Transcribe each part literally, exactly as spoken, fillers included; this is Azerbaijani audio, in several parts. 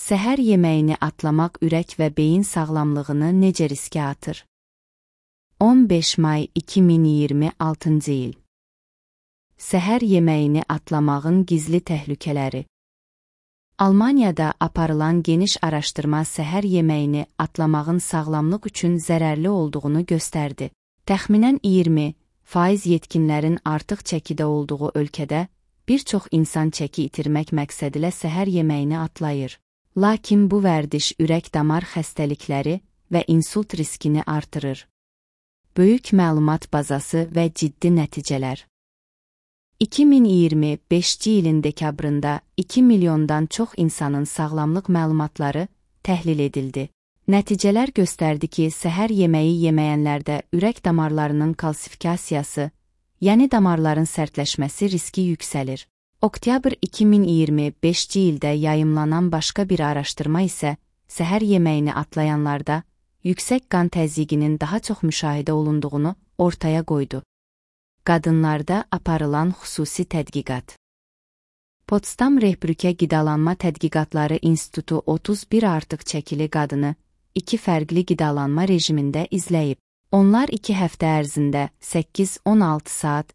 Səhər yeməyini atlamaq ürək və beyin sağlamlığını necə riskə atır? on beş may iki min iyirmi altıncı il. Səhər yeməyini atlamağın gizli təhlükələri. Almaniyada aparılan geniş araşdırma səhər yeməyini atlamağın sağlamlıq üçün zərərli olduğunu göstərdi. Təxminən iyirmi faiz yetkinlərin artıq çəkidə olduğu ölkədə bir çox insan çəki itirmək məqsədilə səhər yeməyini atlayır. Lakin bu vərdiş ürək-damar xəstəlikləri və insult riskini artırır. Böyük məlumat bazası və ciddi nəticələr. iki min iyirmi beşinci ilin dekabrında iki milyondan çox insanın sağlamlıq məlumatları təhlil edildi. Nəticələr göstərdi ki, səhər yeməyi yeməyənlərdə ürək damarlarının kalsifikasiyası, yəni damarların sərtləşməsi riski yüksəlir. Oktyabr iki min iyirmi beşinci ildə yayımlanan başqa bir araşdırma isə səhər yeməyini atlayanlarda yüksək qan təzyiqinin daha çox müşahidə olunduğunu ortaya qoydu. Qadınlarda aparılan xüsusi tədqiqat. Potsdam Rehbrücke Qidalanma Tədqiqatları İnstitutu otuz bir artıq çəkili qadını iki fərqli qidalanma rejimində izləyib. Onlar iki həftə ərzində səkkiz on altı saat,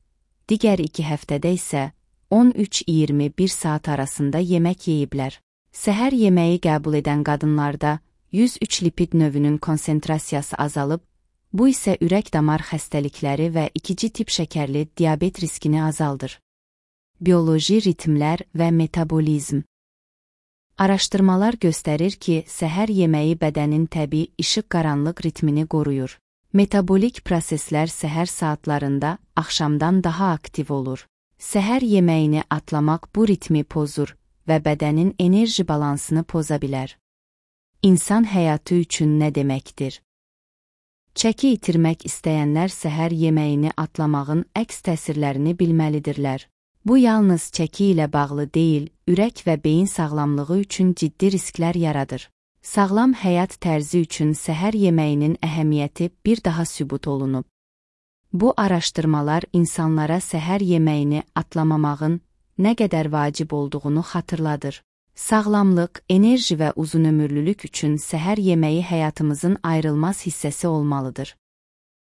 digər iki həftədə isə on üç iyirmi bir saat arasında yemək yeyiblər. Səhər yeməyi qəbul edən qadınlarda yüz üç lipid növünün konsentrasiyası azalıb, bu isə ürək-damar xəstəlikləri və ikinci tip şəkərli diabet riskini azaldır. Bioloji ritmlər və metabolizm. Araşdırmalar göstərir ki, səhər yeməyi bədənin təbii işıq-qaranlıq ritmini qoruyur. Metabolik proseslər səhər saatlarında axşamdan daha aktiv olur. Səhər yeməyini atlamaq bu ritmi pozur və bədənin enerji balansını poza bilər. İnsan həyatı üçün nə deməkdir? Çəki itirmək istəyənlər səhər yeməyini atlamağın əks təsirlərini bilməlidirlər. Bu yalnız çəki ilə bağlı deyil, ürək və beyin sağlamlığı üçün ciddi risklər yaradır. Sağlam həyat tərzi üçün səhər yeməyinin əhəmiyyəti bir daha sübut olunub. Bu araşdırmalar insanlara səhər yeməyini atlamamağın nə qədər vacib olduğunu xatırladır. Sağlamlıq, enerji və uzunömürlülük üçün səhər yeməyi həyatımızın ayrılmaz hissəsi olmalıdır.